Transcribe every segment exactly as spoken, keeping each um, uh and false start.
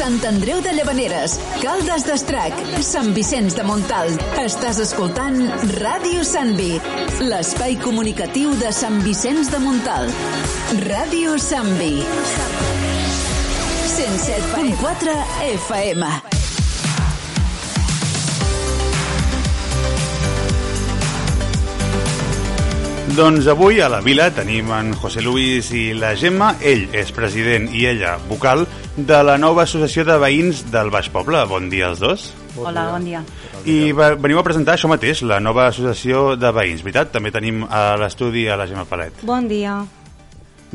Sant Andreu de Llavaneres, Caldes d'Estrac, Sant Vicenç de Montalt. Estàs escoltant Ràdio Sant Vi, l'espai comunicatiu de Sant Vicenç de Montalt. Ràdio Sant Vi. cent set punt quatre F M. Doncs avui a la vila tenim en José Luis i la Gemma. Ell és president i ella vocal de la nova associació de veïns del Baix Poble. Bon dia als dos. Bon Hola, dia. bon dia. I veniu a presentar això mateix, la nova associació de veïns, veritat? També tenim a l'estudi a la Gemma Palet. Bon dia.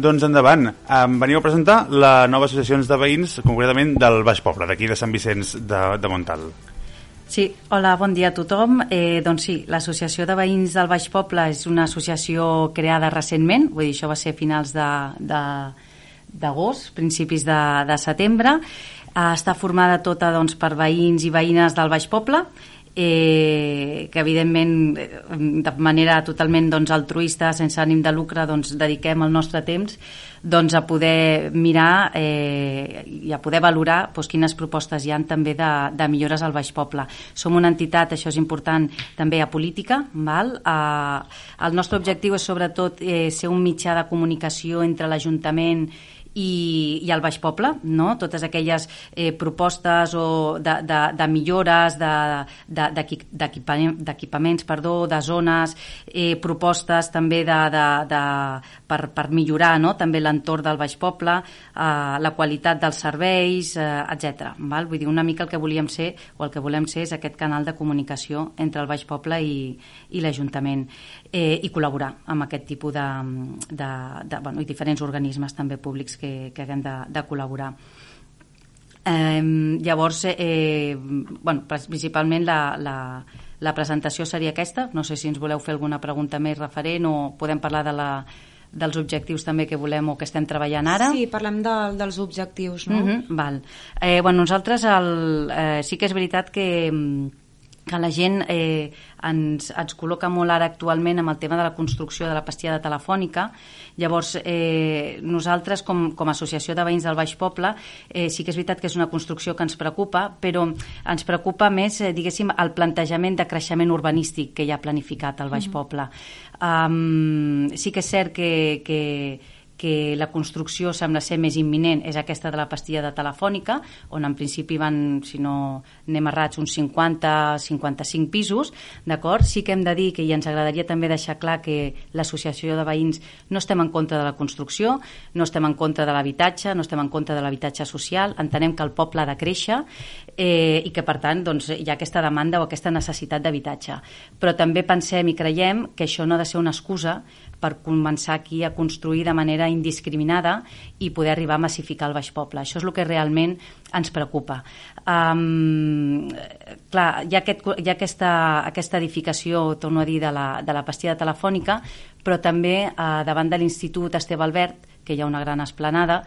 Doncs endavant, em veniu a presentar la nova associació de veïns, concretament del Baix Poble, d'aquí de Sant Vicenç de, de Montalt. Sí, hola, bon dia a tothom. Eh, doncs sí, l'Associació de Veïns del Baix Poble és una associació creada recentment, vull dir, això va ser a finals d'agost, principis de, de setembre. Eh, està formada tota doncs, per veïns i veïnes del Baix Poble, eh, que evidentment de manera totalment doncs, altruista, sense ànim de lucre, doncs, dediquem el nostre temps doncs, a poder mirar eh, i a poder valorar doncs, quines propostes hi ha també de, de millores al Baix Poble. Som una entitat, això és important, també apolítica. Val? Eh, el nostre objectiu és sobretot eh, ser un mitjà de comunicació entre l'Ajuntament i, i el Baix Poble, no? Totes aquelles eh, propostes o de, de, de millores d'equipaments, perdó, de zones, eh, propostes també de, de, de, per, per millorar, no? També l'entorn del Baix Poble, eh, la qualitat dels serveis, eh, etcètera. Val? Vull dir, una mica el que volíem ser o el que volem ser és aquest canal de comunicació entre el Baix Poble i, i l'Ajuntament, eh, i col·laborar amb aquest tipus de, de, de bueno, i diferents organismes també públics que, que haguem de, de col·laborar. Eh, llavors, eh, bueno, principalment la, la, la presentació seria aquesta. No sé si ens voleu fer alguna pregunta més referent o podem parlar de la, dels objectius també que volem o que estem treballant ara. Sí, parlem de, dels objectius, no? Mm-hmm, val. Eh, bueno, nosaltres el, eh, sí que és veritat que que la gent eh, ens, ens col·loca molt ara actualment amb el tema de la construcció de la pastilla telefònica. Llavors, eh, nosaltres com, com a associació de veïns del Baix Poble eh, sí que és veritat que és una construcció que ens preocupa, però ens preocupa més, eh, diguéssim, el plantejament de creixement urbanístic que hi ha planificat al Baix mm-hmm. Poble. Um, sí que és cert que, que que la construcció sembla ser més imminent és aquesta de la pastilla de telefònica, on en principi van, si no anem errats, uns cinquanta a cinquanta-cinc pisos, d'acord? Sí que hem de dir que, i ens agradaria també deixar clar que l'associació de veïns no estem en contra de la construcció, no estem en contra de l'habitatge, no estem en contra de l'habitatge social, entenem que el poble ha de créixer eh, i que per tant doncs, hi ha aquesta demanda o aquesta necessitat d'habitatge. Però també pensem i creiem que això no ha de ser una excusa per començar aquí a construir de manera indiscriminada i poder arribar a massificar el Baix Poble. Això és el que realment ens preocupa. Um, clar, hi ha, aquest, hi ha aquesta, aquesta edificació, torno a dir, de la, de la pastilla telefònica, però també uh, davant de l'Institut Esteve Albert, que hi ha una gran esplanada,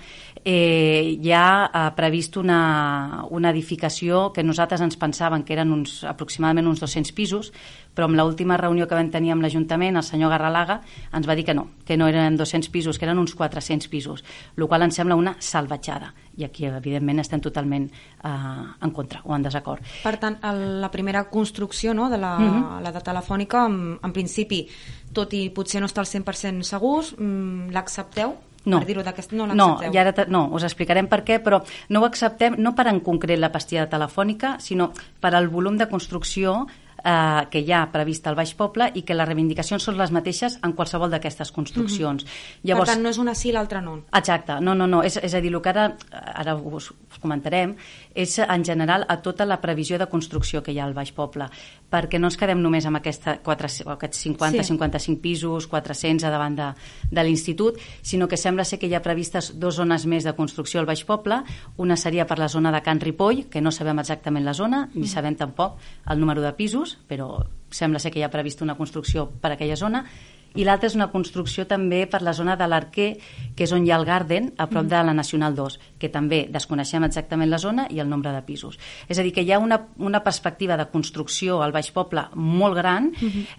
eh, hi ha eh, previst una, una edificació que nosaltres ens pensàvem que eren uns, aproximadament uns dos-cents pisos, però amb l'última reunió que vam tenir amb l'Ajuntament, el senyor Garralaga ens va dir que no, que no eren dos-cents pisos, que eren uns quatre-cents pisos, el qual ens sembla una salvatjada. I aquí, evidentment, estem totalment eh, en contra o en desacord. Per tant, el, la primera construcció, no, de la, mm-hmm. la de Telefònica, en, en principi, tot i potser no està al cent per cent segurs, mm, l'accepteu? No, per dir-ho d'aquest, no no, l'accepteu? i ara te, no, us explicarem per què, però no ho acceptem no per en concret la pastilla telefònica, sinó per al volum de construcció eh, que hi ha prevista al Baix Poble i que les reivindicacions són les mateixes en qualsevol d'aquestes construccions. Mm-hmm. Llavors, per tant, no és una sí i l'altra no. Exacte, no, no, no. És, és a dir, el que ara, ara us, us comentarem és en general a tota la previsió de construcció que hi ha al Baix Poble, perquè no ens quedem només amb aquesta, quatre, aquests cinquanta a cinquanta-cinc pisos, quatre-cents a davant de, de l'Institut, sinó que sembla ser que hi ha previstes dues zones més de construcció al Baix Poble. Una seria per la zona de Can Ripoll, que no sabem exactament la zona, ni mm. sabem tampoc el número de pisos, però sembla ser que hi ha previst una construcció per a aquella zona, i l'altra és una construcció també per la zona de l'Arquer, que és on hi ha el Garden, a prop de la Nacional dos, que també desconeixem exactament la zona i el nombre de pisos. És a dir, que hi ha una, una perspectiva de construcció al Baix Poble molt gran,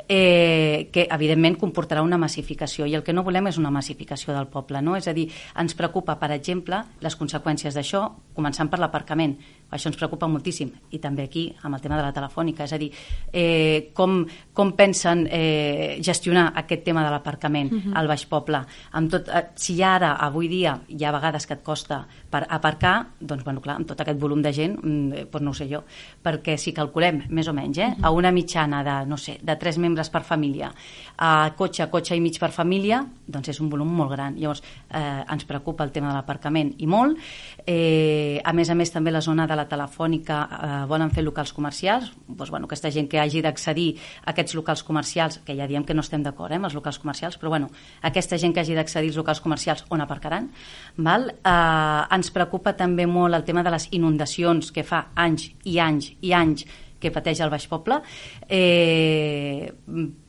eh, que evidentment comportarà una massificació, i el que no volem és una massificació del poble, no? És a dir, ens preocupa, per exemple, les conseqüències d'això, començant per l'aparcament. Això ens preocupa moltíssim, i també aquí amb el tema de la telefònica, és a dir, eh, com, com pensen eh, gestionar aquest tema de l'aparcament uh-huh. al Baix Poble. Amb tot, eh, si ara, avui dia, hi ha vegades que et costa per aparcar, doncs, bueno, clar, amb tot aquest volum de gent, eh, doncs no ho sé jo, perquè si calculem, més o menys, eh, uh-huh. a una mitjana de, no sé, de tres membres per família, a cotxe, cotxe i mig per família, doncs és un volum molt gran. Llavors, eh, ens preocupa el tema de l'aparcament i molt. Eh, a més a més, també la zona de la telefònica eh, volen fer locals comercials, doncs, bueno, aquesta gent que hagi d'accedir a aquests locals comercials, que ja diem que no estem d'acord eh, amb els locals comercials, però bueno, aquesta gent que hagi d'accedir als locals comercials, on aparcaran? Val? Eh, ens preocupa també molt el tema de les inundacions, que fa anys i anys i anys que pateix el Baix Poble, eh,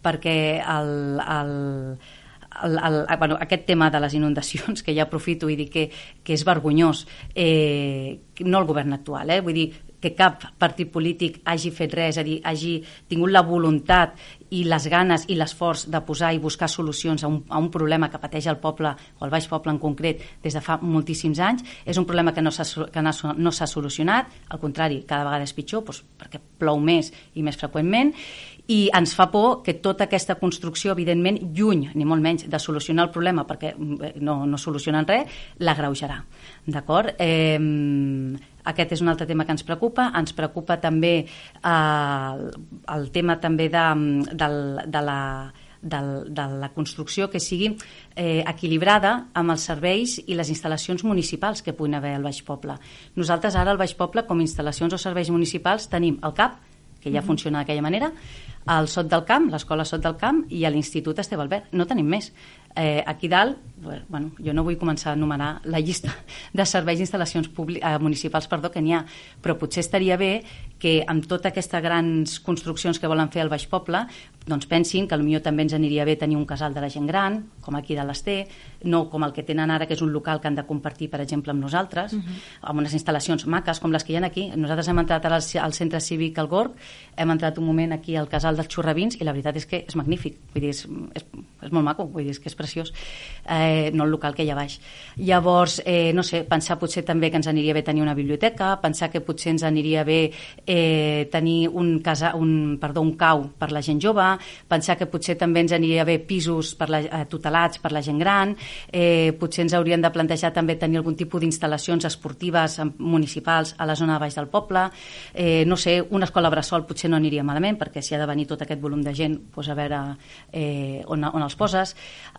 perquè el... el El, el, bueno, aquest tema de les inundacions, que ja aprofito i dic que, que és vergonyós, eh, no el govern actual, eh, vull dir que cap partit polític hagi fet res, és a dir, hagi tingut la voluntat i les ganes i l'esforç de posar i buscar solucions a un, a un problema que pateix el poble, o el Baix Poble en concret, des de fa moltíssims anys. És un problema que no s'ha, que no s'ha solucionat, al contrari, cada vegada és pitjor, doncs, perquè plou més i més freqüentment, i ens fa por que tota aquesta construcció, evidentment, lluny, ni molt menys, de solucionar el problema, perquè no, no solucionen res, l'agreujarà. D'acord? Eh, aquest és un altre tema que ens preocupa. Ens preocupa també eh, el tema també de, de, de la... De, de la construcció que sigui eh, equilibrada amb els serveis i les instal·lacions municipals que puguin haver al Baix Poble. Nosaltres ara al Baix Poble, com a instal·lacions o serveis municipals, tenim el C A P, que ja funciona d'aquella manera, el Sot del Camp, l'escola Sot del Camp, i l'Institut Esteve Albert. No tenim més. Eh, aquí dalt, bueno, jo no vull començar a enumerar la llista de serveis i instal·lacions eh, municipals perdó, que n'hi ha, però potser estaria bé que amb totes aquestes grans construccions que volen fer al Baix Poble, doncs pensin que potser també ens aniria bé tenir un casal de la gent gran, com aquí de l'Ester, no com el que tenen ara, que és un local que han de compartir, per exemple, amb nosaltres, uh-huh. amb unes instal·lacions maques com les que hi ha aquí. Nosaltres hem entrat al, al centre cívic al Gorg, hem entrat un moment aquí al casal dels Xurravins, i la veritat és que és magnífic, vull dir, és, és, és molt maco, vull dir, és que és preciós, eh, no el local que hi ha baix. Llavors, eh, no sé, pensar potser també que ens aniria bé tenir una biblioteca, pensar que potser ens aniria bé eh, tenir un, casa, un, perdó, un cau per la gent jove, pensar que potser també ens aniria bé pisos per la, eh, tutelats per la gent gran, eh, potser ens haurien de plantejar també tenir algun tipus d'instal·lacions esportives municipals a la zona de baix del poble, eh, no sé, una escola bressol potser no aniria malament, perquè si ha de venir tot aquest volum de gent, doncs a veure eh, on, on els poses.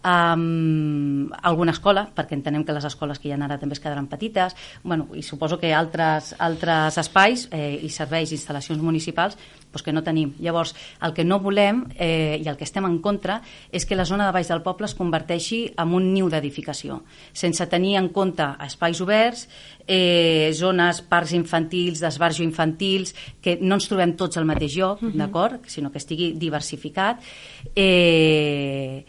Um, alguna escola, perquè entenem que les escoles que hi ha ara també es quedaran petites, bueno, i suposo que altres, altres espais eh, i serveis i instal·lacions municipals doncs que no tenim. Llavors, el que no volem eh, i el que estem en contra és que la zona de baix del poble es converteixi en un niu d'edificació, sense tenir en compte espais oberts, eh, zones, parcs infantils, d'esbarjo infantils, que no ens trobem tots al mateix lloc, uh-huh. d'acord? Sinó que estigui diversificat, eh,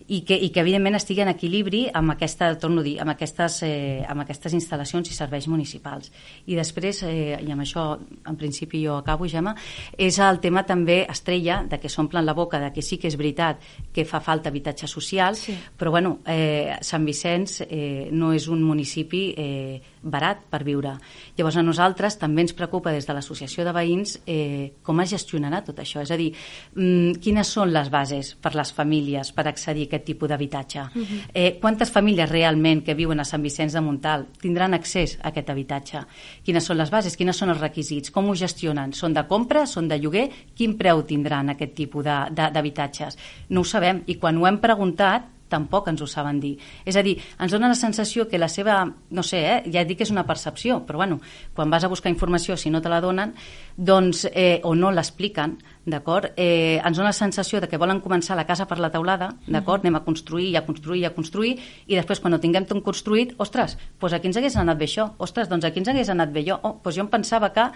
i que, i que evidentment estigui en equilibri amb aquesta, torno a dir, amb aquestes, eh, amb aquestes instal·lacions i serveis municipals. I després, eh, i amb això en principi jo acabo, Gemma, és el tema també estrella de que s'omplen la boca de que sí que és veritat que fa falta habitatge social, sí. però bueno, eh, Sant Vicenç eh, no és un municipi eh, barat per viure. Llavors a nosaltres també ens preocupa des de l'associació de veïns eh, com es gestionarà tot això, és a dir, mm, quines són les bases per les famílies per accedir a aquest tipus d'habitatge. Uh-huh. Eh, quantes famílies realment que viuen a Sant Vicenç de Montalt tindran accés a aquest habitatge? Quines són les bases? Quines són els requisits? Com ho gestionen? Són de compra? Són de lloguer? Quin preu tindran aquest tipus de, de, d'habitatges? No ho sabem, i quan ho hem preguntat tampoc ens ho saben dir. És a dir, ens dona la sensació que la seva, no sé, eh, ja dic que és una percepció, però bueno, quan vas a buscar informació, si no te la donen, doncs, eh, o no l'expliquen, d'acord? Eh, ens dona la sensació de que volen començar la casa per la teulada, d'acord? Uh-huh. Anem a construir, i a construir, i a construir, i després quan ho tinguem tot construït, ostres, doncs aquí ens hagués anat bé això, ostres, doncs aquí ens hagués anat bé jo, oh, doncs jo em pensava que...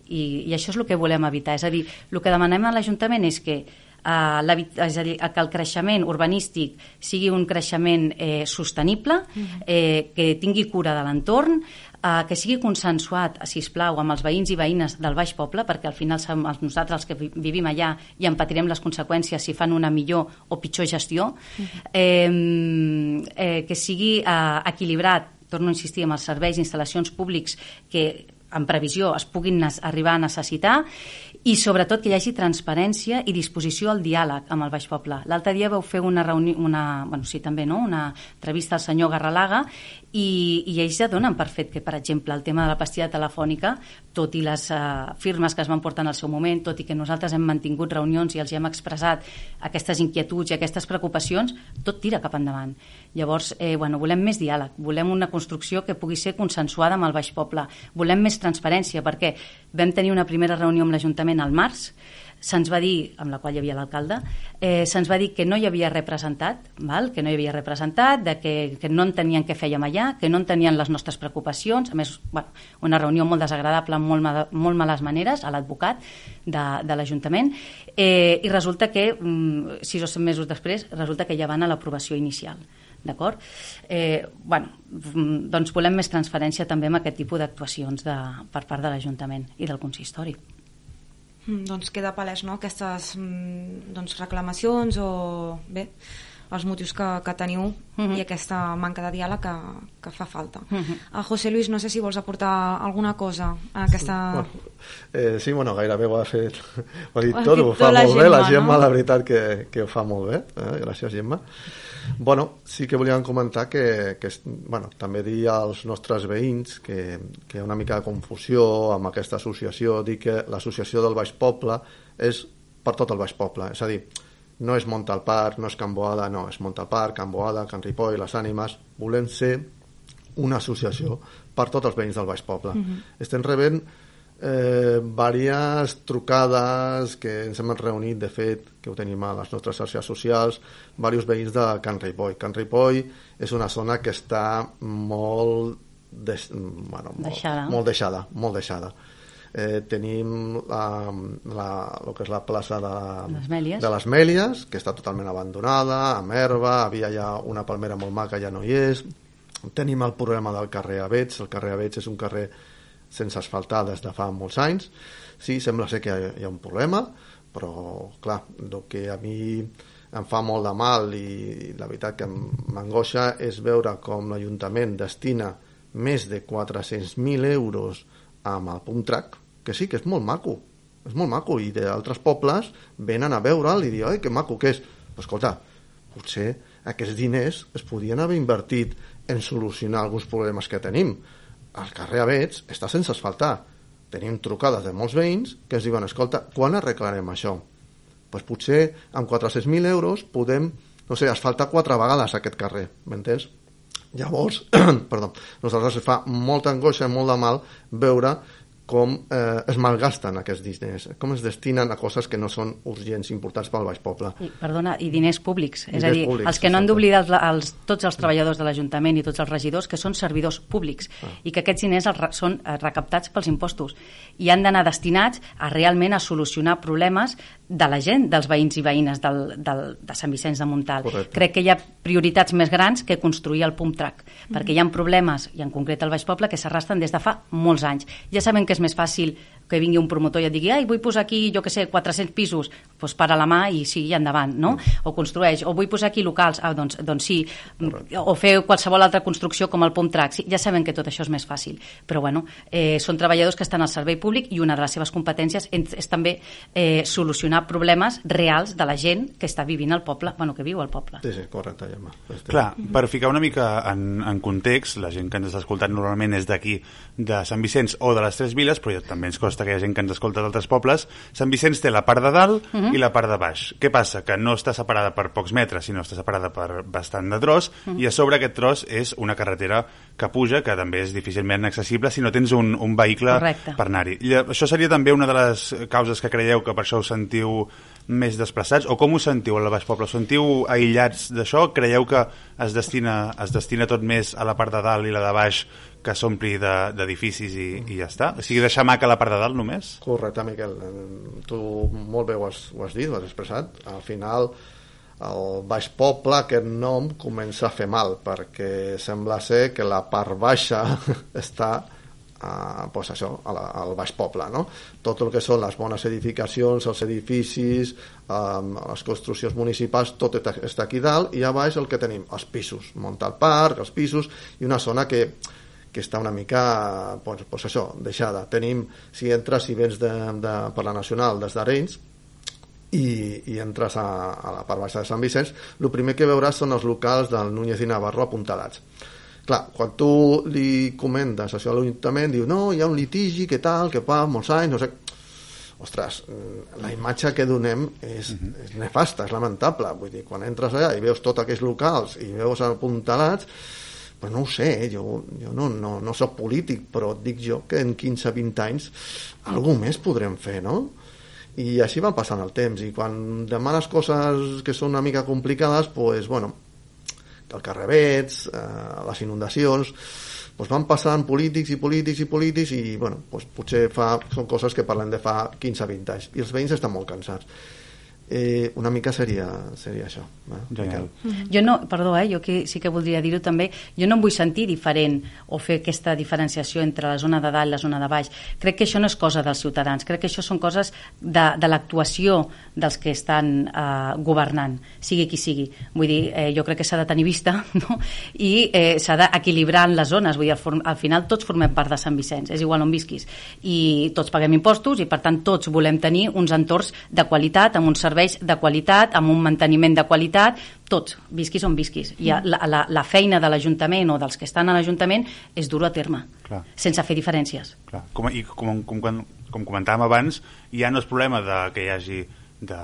I, i això és el que volem evitar, és a dir, el que demanem a l'Ajuntament és que eh, és a dir, que el creixement urbanístic sigui un creixement eh, sostenible, eh, que tingui cura de l'entorn, eh, que sigui consensuat, sisplau, amb els veïns i veïnes del Baix Poble, perquè al final som nosaltres els que vivim allà i en patirem les conseqüències si fan una millor o pitjor gestió, eh, eh, que sigui eh, equilibrat, torno a insistir, amb els serveis i instal·lacions públics que en previsió es puguin arribar a necessitar, i sobretot que hi hagi transparència i disposició al diàleg amb el Baix Poble. L'altre dia vau fer una reunió, una, bueno, sí, també, no? una entrevista al senyor Garralaga, i, i ells ja donen per fet que, per exemple, el tema de la pastilla telefònica, tot i les uh, firmes que es van portar en el seu moment, tot i que nosaltres hem mantingut reunions i els hem expressat aquestes inquietuds i aquestes preocupacions, tot tira cap endavant. Llavors, eh, bueno, volem més diàleg, volem una construcció que pugui ser consensuada amb el Baix Poble, volem més transparència, perquè vam tenir una primera reunió amb l'Ajuntament al març, se'ns va dir, amb la qual hi havia l'alcalde, eh, se'ns va dir que no hi havia representat, val? que no hi havia representat, de que, que no entenien què fèiem allà, que no entenien les nostres preocupacions, a més, bueno, una reunió molt desagradable, amb molt, mal, molt males maneres, a l'advocat de, de l'Ajuntament, eh, i resulta que, mm, sis o set mesos després, resulta que ja van a l'aprovació inicial. D'acord? Eh, bueno, doncs volem més transferència també amb aquest tipus d'actuacions de, per part de l'Ajuntament i del consistori. Mm, doncs queda palès, no?, aquestes mm, doncs, reclamacions o bé, els motius que, que teniu uh-huh. i aquesta manca de diàleg que, que fa falta. Uh-huh. A José Luis, no sé si vols aportar alguna cosa a aquesta... Bueno, eh, sí, bueno, gairebé ho ha fet, ho ha dit tot, ho fa molt bé, la Gemma, no? La veritat que, que ho fa molt bé, eh? Gràcies, Gemma. Bueno, sí que volíem comentar que, que bueno, també dir als nostres veïns que, que hi ha una mica de confusió amb aquesta associació, dir que l'associació del Baix Poble és per tot el Baix Poble, és a dir, no és Montalpar, no és Can Boada, no, és Montalpar, Can Boada, Can Ripoll, Les Ànimes. Volem ser una associació per tots els veïns del Baix Poble. Uh-huh. Estem rebent eh, diverses trucades que ens hem reunit, de fet, que ho tenim a les nostres xarxes socials, diversos veïns de Can Ripoll. Can Ripoll és una zona que està molt, des, bueno, molt deixada. molt deixada, molt deixada. Eh, tenim la, la, el que és la plaça de, les Mèlies. de les Mèlies, que està totalment abandonada, amb herba, havia ja una palmera molt maca, ja no hi és. Tenim el problema del carrer Avets. El carrer Avets és un carrer sense asfaltar des de fa molts anys. Sí, sembla ser que hi ha, hi ha un problema, però clar, el que a mi em fa molt de mal i la veritat que m'angoixa és veure com l'Ajuntament destina més de quatre-cents mil euros amb el pump track, que sí, que és molt maco, és molt maco, i d'altres pobles venen a veure'l i diuen, ai, que maco que és. Però escolta, potser aquests diners es podien haver invertit en solucionar alguns problemes que tenim. El carrer Avets està sense asfaltar. Tenim trucades de molts veïns que ens diuen, escolta, quan arreglarem això? Pues potser amb quatre-cents mil euros podem, no sé, asfaltar quatre vegades aquest carrer, m'entens? Llavors, perdó, nosaltres fa molta angoixa i molt de mal veure com eh, es malgasten aquests diners, com es destinen a coses que no són urgents, importants pel Baix Poble. I, perdona, i diners públics. Diners és a dir, públics, els que no han d'oblidar els, els, tots els treballadors de l'Ajuntament i tots els regidors que són servidors públics ah. i que aquests diners els, són recaptats pels impostos i han d'anar destinats a realment a solucionar problemes de la gent, dels veïns i veïnes del, del, de Sant Vicenç de Montalt. Correcte. Crec que hi ha prioritats més grans que construir el pump track, mm-hmm. perquè hi ha problemes, i en concret al Baix Poble, que s'arrastren des de fa molts anys. Ja sabem que és més fàcil que vingui un promotor i et digui, ai, vull posar aquí, jo que sé, quatre-cents pisos, doncs para la mà i sigui endavant, no? Mm. O construeix, o vull posar aquí locals, ah, doncs, doncs sí, correcte. O fer qualsevol altra construcció com el pump track, sí, ja sabem que tot això és més fàcil, però bueno, eh, són treballadors que estan al servei públic i una de les seves competències és, és també eh, solucionar problemes reals de la gent que està vivint al poble, bueno, que viu al poble. Sí, sí, correcte, Gemma. Clar, per ficar una mica en, en context, la gent que ens està escoltant normalment és d'aquí, de Sant Vicenç o de les Tres Viles, però també ens costa que hi ha gent que ens escolta d'altres pobles. Sant Vicenç té la part de dalt uh-huh. i la part de baix. Què passa? Que no està separada per pocs metres, sinó està separada per bastant de tros, uh-huh. i a sobre aquest tros és una carretera que puja, que també és difícilment accessible si no tens un, un vehicle Correcte. Per anar-hi. I això seria també una de les causes que creieu que per això us sentiu més desplaçats, o com ho sentiu al Baix Poble? Us sentiu aïllats d'això? Creieu que es destina, es destina tot més a la part de dalt i la de baix, que s'ompli d'edificis i, i ja està? O sigui, deixar maca la part de dalt només? Correcte, Miquel. Tu molt bé ho has, ho has dit, ho has expressat. Al final, el Baix Poble, aquest nom comença a fer mal, perquè sembla ser que la part baixa està uh, pues això, a la, al Baix Poble, no? Tot el que són les bones edificacions, els edificis, um, les construccions municipals, tot està aquí dalt, i a baix el que tenim, els pisos, muntar el parc, els pisos, i una zona que que està una mica, pues, pues això, deixada. Tenim, si entres, si vens de, de, per la Nacional des d'Arenys i, i entres a, a la part baixa de Sant Vicenç, el primer que veuràs són els locals del Núñez i Navarro apuntalats. Clar, quan tu li comentes això a l'Ajuntament, diu, no, hi ha un litigi, que tal, que fa molts anys, no sé... Ostres, la imatge que donem és, uh-huh. és nefasta, és lamentable. Vull dir, quan entres allà i veus tots aquests locals i veus apuntalats, pues no ho sé, jo, jo no, no, no soc polític, però et dic jo que en quinze vint anys alguna més podrem fer, no? I així va passant el temps, i quan demanes coses que són una mica complicades, pues, bueno, el carrerets, eh, les inundacions, pues van passant polítics i polítics i polítics, i bueno, pues potser fa, són coses que parlem de fa quinze vint anys, i els veïns estan molt cansats. Eh, una mica seria, seria això. Eh? Mm-hmm. Jo no, perdó, eh, jo que, sí que voldria dir-ho també, jo no em vull sentir diferent o fer aquesta diferenciació entre la zona de dalt i la zona de baix. Crec que això no és cosa dels ciutadans, crec que això són coses de, de l'actuació dels que estan eh, governant, sigui qui sigui. Vull dir, eh, jo crec que s'ha de tenir vista, no? I eh, s'ha d'equilibrar en les zones. Vull dir, al, al final tots formem part de Sant Vicenç, és igual on visquis, i tots paguem impostos i per tant tots volem tenir uns entorns de qualitat, amb uns serveis de qualitat, amb un manteniment de qualitat, tots, visquis on visquis. I la, la, la feina de l'Ajuntament o dels que estan a l'Ajuntament és dur a terme, clar, sense fer diferències. Clar. Com, i com, com, com, com comentàvem abans, ja no és problema de que hi hagi de,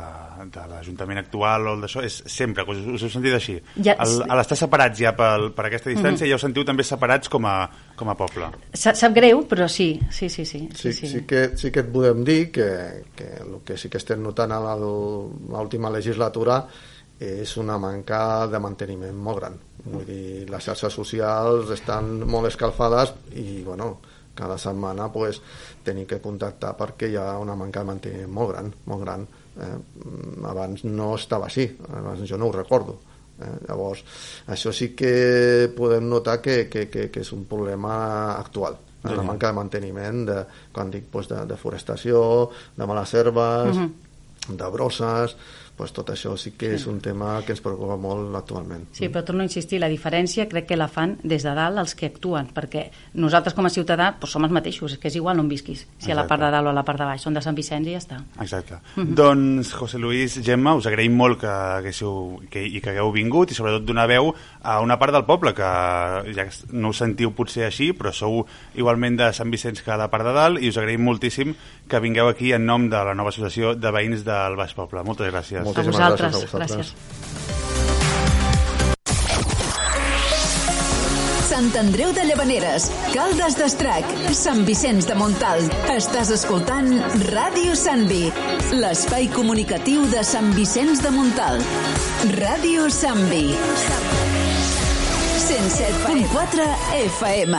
de l'Ajuntament actual o d'això, és sempre, us, us heu sentit així. Ja, el, a l'estar separats ja per, per aquesta distància, mm-hmm. ja us sentiu també separats com a, com a poble. Sa, sap greu, però sí, sí, sí. Sí, sí, sí. sí, que, sí que et podem dir que, que el que sí que estem notant a l'última legislatura és una manca de manteniment molt gran. Vull dir, les xarxes socials estan molt escalfades i, bueno, cada setmana pues, tenim que contactar perquè hi ha una manca de manteniment molt gran, molt gran. Eh, abans no estava així, abans jo no ho recordo. Eh, llavors, això sí que podem notar que, que, que, que és un problema actual. Sí. La manca de manteniment, de, quan dic pues, de, de forestació, de males herbes, uh-huh. de brosses, pues tot això sí que és un tema que ens preocupa molt actualment. Sí, però torno a insistir, la diferència crec que la fan des de dalt els que actuen, perquè nosaltres com a ciutadà pues, som els mateixos, és que és igual on visquis, si Exacte. A la part de dalt o a la part de baix, són de Sant Vicenç i ja està. Exacte. Mm-hmm. Doncs, José Luis, Gemma, us agraïm molt que haguéssiu, que, i que hagueu vingut i sobretot donar veu a una part del poble que ja no us sentiu potser així, però sou igualment de Sant Vicenç que a la part de dalt, i us agraïm moltíssim que vingueu aquí en nom de la nova associació de veïns del Baix Poble. Moltes gràcies. Moltíssimes a vosaltres, gràcies a vosaltres. Gràcies. Sant Andreu de Llavaneres, Caldes d'Estrac, Sant Vicenç de Montalt. Estàs escoltant Ràdio Santvi, l'espai comunicatiu de Sant Vicenç de Montalt. Ràdio Santvi. cent set punt quatre F M.